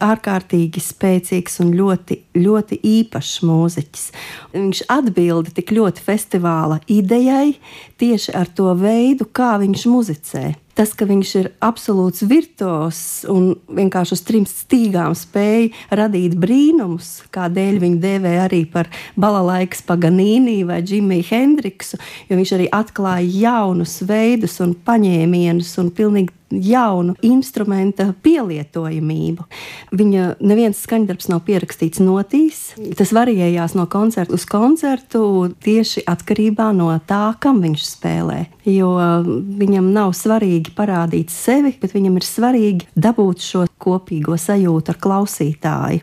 ārkārtīgi spēcīgs un ļoti, ļoti īpašs mūziķis. Viņš atbilda tik ļoti festivāla idejai tieši ar to veidu, kā viņš muzicē. Tas, ka viņš ir absolūts virtuos un vienkārši uz 3 stīgām spēja radīt brīnumus, kādēļ viņu dēvē arī par balalaikas Paganīni vai Džimiju Hendriksu, jo viņš arī atklāja jaunus veidus un paņēmienus un pilnīgi jaunu instrumenta pielietojamību. Viņa neviens skaņdarbs nav pierakstīts notīs. Tas variējās no koncerta uz koncertu tieši atkarībā no tā, kam viņš spēlē. Jo viņam nav svarīgi parādīt sevi, bet viņam ir svarīgi dabūt šo kopīgo sajūtu ar klausītāju.